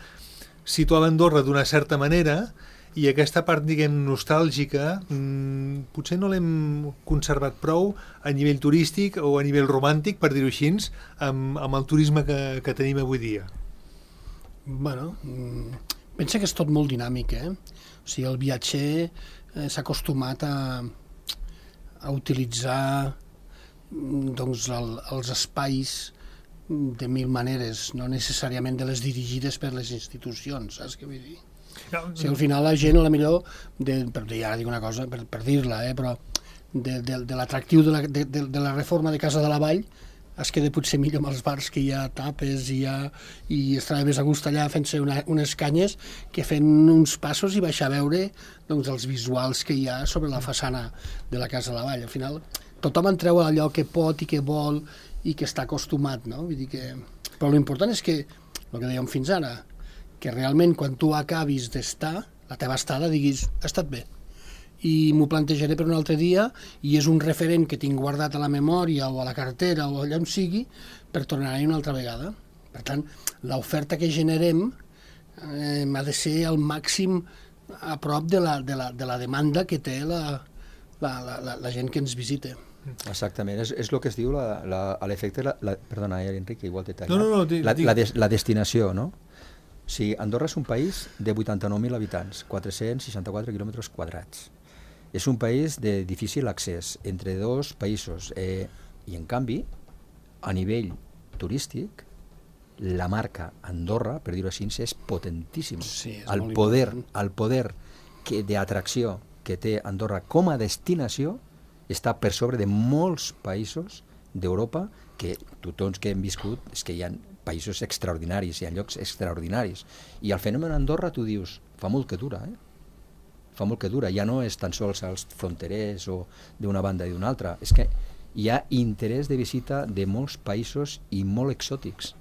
situava Andorra d'una certa manera, i aquesta part, diguem, nostàlgica mmm, potser no l'hem conservat prou a nivell turístic o a nivell romàntic, per dir-ho així, amb, amb el turisme que, que tenim avui dia. Bueno, pensa que és tot molt dinàmic, eh? O sigui, el viatger eh, s'ha acostumat a, a utilitzar doncs, el, els espais de mil maneres, no necessàriament de les dirigides per les institucions, saps què vull dir? No, no. O sigui, al final la gent, a la millor, de, per dir, ara dic una cosa, per, per dir-la, eh, però de, de, de l'atractiu de, la, de, de, de la reforma de Casa de la Vall es queda potser millor amb els bars que hi ha tapes i, ha, i estarà més a gust allà fent-se una, unes canyes que fent uns passos i baixar a veure doncs, els visuals que hi ha sobre la façana de la Casa de la Vall. Al final tothom en treu allò que pot i que vol i que està acostumat, no? Vull dir que... Però l'important és que, el que dèiem fins ara, que realment quan tu acabis d'estar, la teva estada, diguis, ha estat bé, i m'ho plantejaré per un altre dia, i és un referent que tinc guardat a la memòria o a la cartera o allà on sigui, per tornar-hi una altra vegada. Per tant, l'oferta que generem eh, ha de ser al màxim a prop de la, de la, de la demanda que té la, la, la, la, la gent que ens visita. Exactament, és, és el que es diu la, la, a l'efecte, la, la, perdona, eh, Enric, igual t'he tallat, no, no, no, la, la, des, la destinació, no? O sigui, Andorra és un país de vuitanta-nou mil habitants, quatre-cents seixanta-quatre quilòmetres quadrats. És un país de difícil accés entre dos països, eh, i en canvi, a nivell turístic, la marca Andorra, per dir-ho així, és potentíssima. Sí, és el molt poder, important. el poder que, d'atracció que té Andorra com a destinació està per sobre de molts països d'Europa, que tots que hem viscut és que hi ha països extraordinaris, hi ha llocs extraordinaris. I el fenomen Andorra, tu dius, fa molt que dura, eh? Fa molt que dura. Ja no és tan sols els fronterers o d'una banda i d'una altra, és que hi ha interès de visita de molts països i molt exòtics.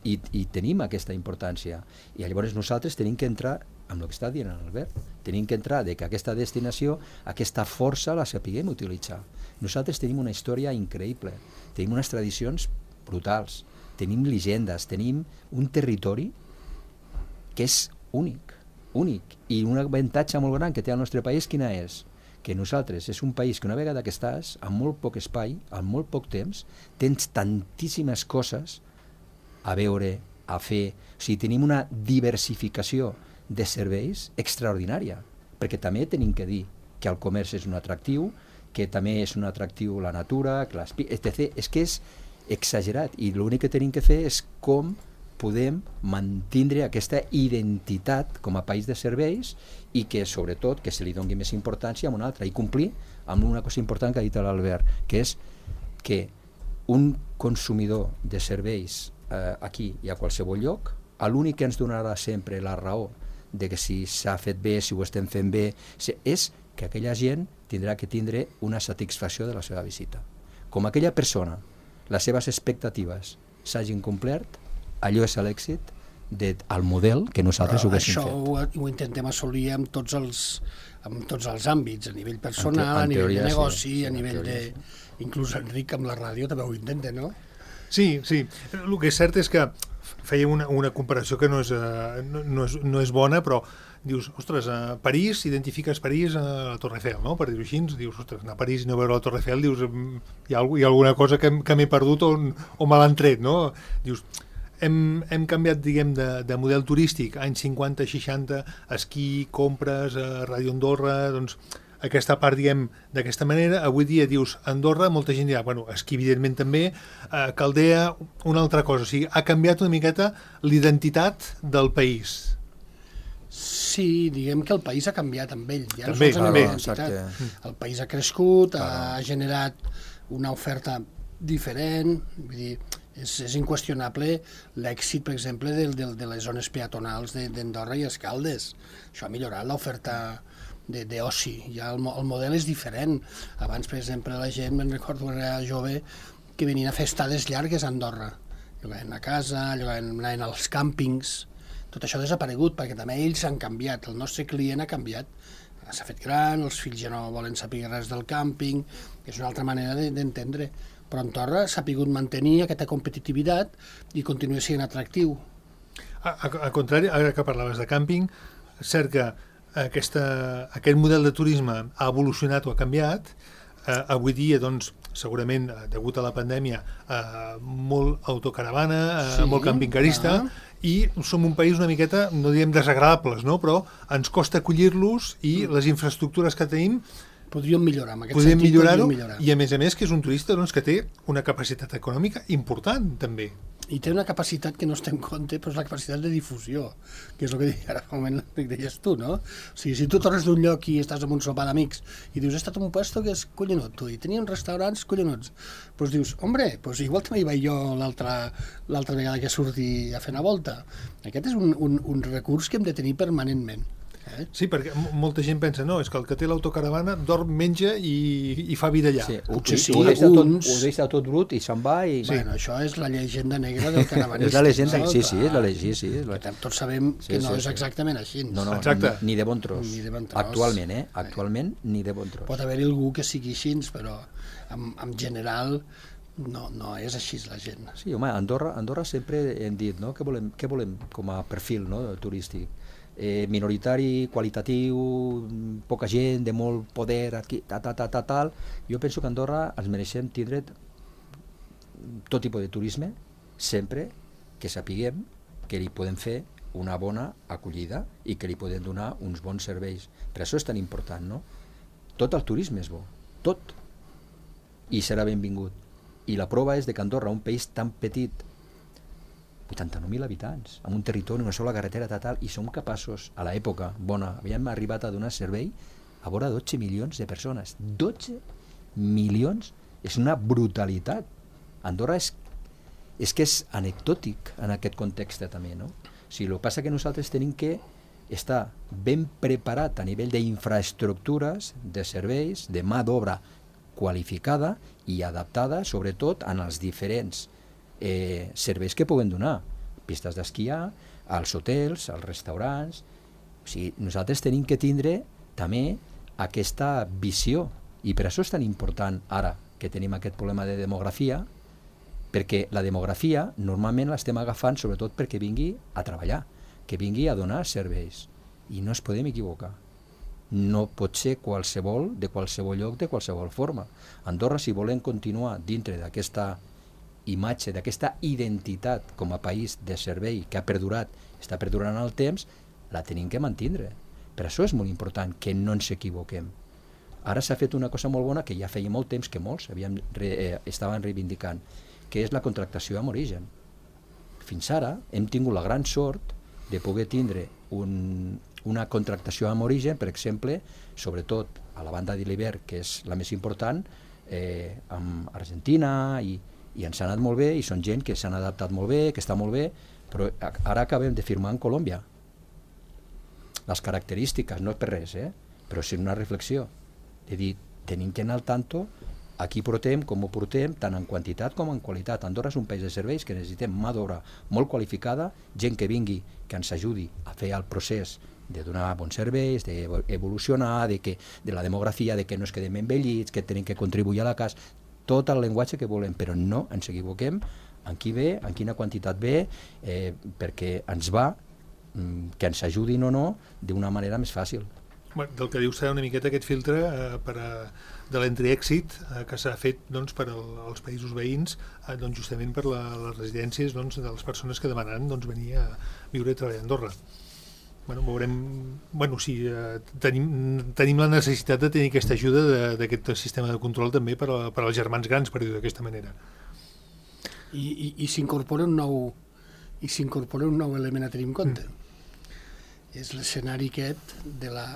I, i tenim aquesta importància. I llavors nosaltres tenim que entrar amb el que està dient Albert, tenim que entrar de que aquesta destinació, aquesta força la sapiguem utilitzar. Nosaltres tenim una història increïble, tenim unes tradicions brutals, tenim llegendes, tenim un territori que és únic, únic, i un avantatge molt gran que té el nostre país, quina és? Que nosaltres és un país que una vegada que estàs, amb molt poc espai, amb molt poc temps, tens tantíssimes coses a veure, a fer, o sigui, tenim una diversificació de serveis extraordinària, perquè també tenim que dir que el comerç és un atractiu, que també és un atractiu la natura, etcètera. És que és exagerat, i l'únic que tenim que fer és com podem mantenir aquesta identitat com a país de serveis i que, sobretot, que se li doni més importància a una altra i complir amb una cosa important que ha dit l'Albert, que és que un consumidor de serveis eh, aquí i a qualsevol lloc, l'únic que ens donarà sempre la raó de que si s'ha fet bé, si ho estem fent bé, si, és que aquella gent tindrà que tindre una satisfacció de la seva visita. Com aquella persona, les seves expectatives s'hagin complert, allò és l'èxit del model que nosaltres ho haguéssim fet. Això ho, ho intentem assolir amb tots els, amb tots els àmbits, a nivell personal, en te, en a nivell teoria, de negoci, sí, a en nivell de... teoria, sí. Inclús Enric amb la ràdio també ho intenta, no? Sí, sí. El que és cert és que feia una, una comparació que no és, uh, no, no, és, no és bona, però dius, ostres, a París, identifiques París a la Torre Eiffel, no? Per dir-ho així, dius, ostres, anar a París i no veure la Torre Eiffel, dius, hi ha, hi ha alguna cosa que, que m'he perdut o, o me l'han tret, no? Dius, hem, hem canviat, diguem, de, de model turístic, anys cinquanta, seixanta, esquí, compres, a Ràdio Andorra, doncs, aquesta part, diguem, d'aquesta manera. Avui dia dius Andorra, molta gent dirà, bueno, esquí evidentment també, eh, Caldea, una altra cosa, o sigui, ha canviat una miqueta l'identitat del país. Sí, diguem que el país ha canviat amb ell, ja també, no també. identitat. El país ha crescut, ha generat una oferta diferent, vull dir, és, és inqüestionable l'èxit, per exemple, de, de, de les zones peatonals d'Andorra i Escaldes. Això ha millorat l'oferta d'oci, ja el, el model és diferent. Abans, per exemple, la gent, me'n recordo quan era jove, que venien a fer estades llargues a Andorra. Llogaven a casa, llogaven, anaven als càmpings. Tot això ha desaparegut, perquè també ells han canviat, el nostre client ha canviat. S'ha fet gran, els fills ja no volen saber res del càmping, que és una altra manera d'entendre. Però Andorra s'ha pogut mantenir aquesta competitivitat i continua sent atractiu. Al contrari, ara que parlaves de càmping, és cert que Aquesta, aquest model de turisme ha evolucionat o ha canviat. Eh, avui dia, doncs, segurament, degut a la pandèmia, eh, molt autocaravana, eh, sí, molt campingcarista, ah. i som un país una miqueta, no diem desagradables, no? Però ens costa acollir-los i mm. les infraestructures que tenim podríem millorar, en aquest podríem sentit millorar-ho, podríem millorar. I a més a més que és un turista, doncs, que té una capacitat econòmica important, també. I té una capacitat que no es té en compte, però és la capacitat de difusió, que és el que ara fa un moment deies tu, no? O sigui, si tu tornes d'un lloc i estàs en un sopar d'amics i dius, he estat en un puesto que és collonut, tu, i tenien restaurants collonuts, doncs dius, hombre, doncs igual també hi vaig jo l'altra vegada que surti a fer una volta. Aquest és un, un, un recurs que hem de tenir permanentment. Eh? Sí, perquè molta gent pensa, no, és que el que té l'autocaravana dorm, menja i, i fa vida allà. Sí, potser sí, ho deixa tot, uns... ho deixa tot brut i se'n va i... Sí. Bueno, això és la llegenda negra del caravanista. És la llegenda, no? sí, sí, és la llegenda, sí. És la... Tots sabem sí, que no sí, és exactament així. No, no, exacte. Ni, ni de bon tros. Ni de bon tros. Actualment, eh? Actualment, ni de bon tros. Pot haver-hi algú que sigui així, però en, en general no, no és així la gent. Sí, home, Andorra, Andorra sempre hem dit, no?, què volem, què volem com a perfil, no?, turístic. Eh, minoritari, qualitatiu, poca gent, de molt poder, aquí, ta, ta, ta, ta, tal. Jo penso que a Andorra ens mereixem tindre tot tipus de turisme, sempre que sapiguem que li podem fer una bona acollida i que li podem donar uns bons serveis. Per això és tan important, no? Tot el turisme és bo, tot. I serà benvingut. I la prova és de que Andorra, un país tan petit, vuitanta-nou mil habitants, amb un territori, una sola carretera total, i som capaços, a l'època bona, havíem arribat a donar servei a vora dotze milions de persones. dotze milions és una brutalitat. Andorra és, és que és anecdòtic en aquest context també, no? O sigui, el que passa que nosaltres tenim que estar ben preparat a nivell d'infraestructures, de serveis, de mà d'obra qualificada i adaptada, sobretot, en els diferents Eh, serveis que puguen donar, pistes d'esquiar, als hotels, als restaurants. O sigui, nosaltres tenim que tindre també aquesta visió, i per això és tan important ara que tenim aquest problema de demografia, perquè la demografia normalment l'estem agafant sobretot perquè vingui a treballar, que vingui a donar serveis, i no ens podem equivocar. No pot ser qualsevol, de qualsevol lloc, de qualsevol forma. Andorra, si volem continuar dintre d'aquesta imatge, d'aquesta identitat com a país de servei que ha perdurat, està perdurant el temps, la tenim que mantindre. Per això és molt important que no ens equivoquem. Ara s'ha fet una cosa molt bona que ja feia molt temps que molts havíem, eh, estaven reivindicant, que és la contractació amb origen. Fins ara hem tingut la gran sort de poder tindre un, una contractació amb origen, per exemple, sobretot a la banda de l'hivern, que és la més important, eh, amb Argentina i i ens ha anat molt bé, i són gent que s'han adaptat molt bé, que està molt bé, però ara acabem de firmar en Colòmbia. Les característiques, no és per res, eh? Però és una reflexió, de dir, tenim que anar al tanto a qui portem, com ho portem, tant en quantitat com en qualitat. Andorra és un país de serveis que necessitem mà d'obra molt qualificada, gent que vingui, que ens ajudi a fer el procés de donar bons serveis, d'evolucionar, de, que, de la demografia, de que no es quedem envellits, que tenim que contribuir a la casa, tot el llenguatge que volem, però no ens equivoquem en qui ve, en quina quantitat ve, eh, perquè ens va, que ens ajudin o no, d'una manera més fàcil. Bueno, del que diu serà una miqueta aquest filtre eh, per a, de l'entreèxit eh, que s'ha fet doncs, per al, als països veïns, eh, doncs, justament per la, les residències doncs, de les persones que demanen doncs, venir a viure i treballar a Andorra. Bueno, veurem, bueno, sí, eh, tenim, tenim la necessitat de tenir aquesta ajuda d'aquest sistema de control també per, a, per als germans grans, per dir-ho d'aquesta manera. I, i, i s'incorpora un nou i s'incorpora un nou element a tenir en compte. Mm. És l'escenari aquest de la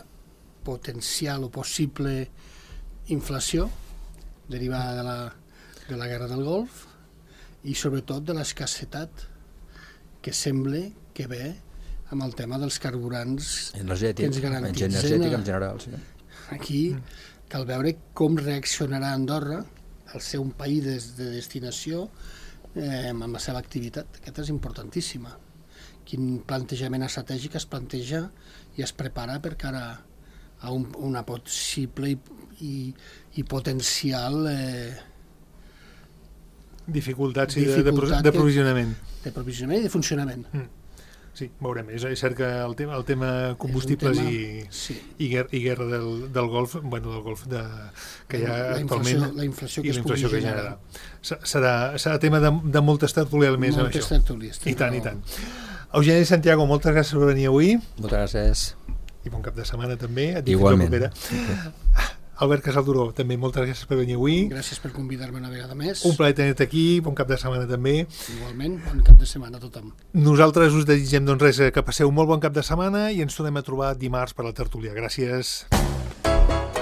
potencial o possible inflació derivada de la, de la guerra del Golf i sobretot de l'escassetat que sembla que ve amb el tema dels carburants energètic, que ens garantitzen. Energètic en general, sí. Aquí cal veure com reaccionarà Andorra al ser un país de, de destinació eh, amb la seva activitat. Aquesta és importantíssima. Quin plantejament estratègic es planteja i es prepara per cara a un, una possible i, i, i potencial eh, dificultats sí, dificultat de, de provisionament. De provisionament i de funcionament. Mm. Sí, veurem. És, és cert que el tema, el tema combustibles tema, i, sí. i, guerra, i guerra del, del Golf, bueno, del Golf de, que hi ha la actualment inflació, la inflació que i la inflació que generar. Serà, serà tema de, de moltes tertúlies més amb això. Tertúlies, I tant, i tant. Eugeni Santiago, moltes gràcies per venir avui. Moltes gràcies. I bon cap de setmana també. Igualment. Okay. Albert Casalduró, també moltes gràcies per venir avui. Gràcies per convidar-me una vegada més. Un plaer tenir-te aquí, bon cap de setmana també. Igualment, bon cap de setmana a tothom. Nosaltres us desitgem doncs res, que passeu un molt bon cap de setmana i ens tornem a trobar dimarts per la tertúlia. Gràcies.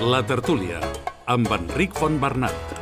La tertúlia, amb Enric Fontbernat.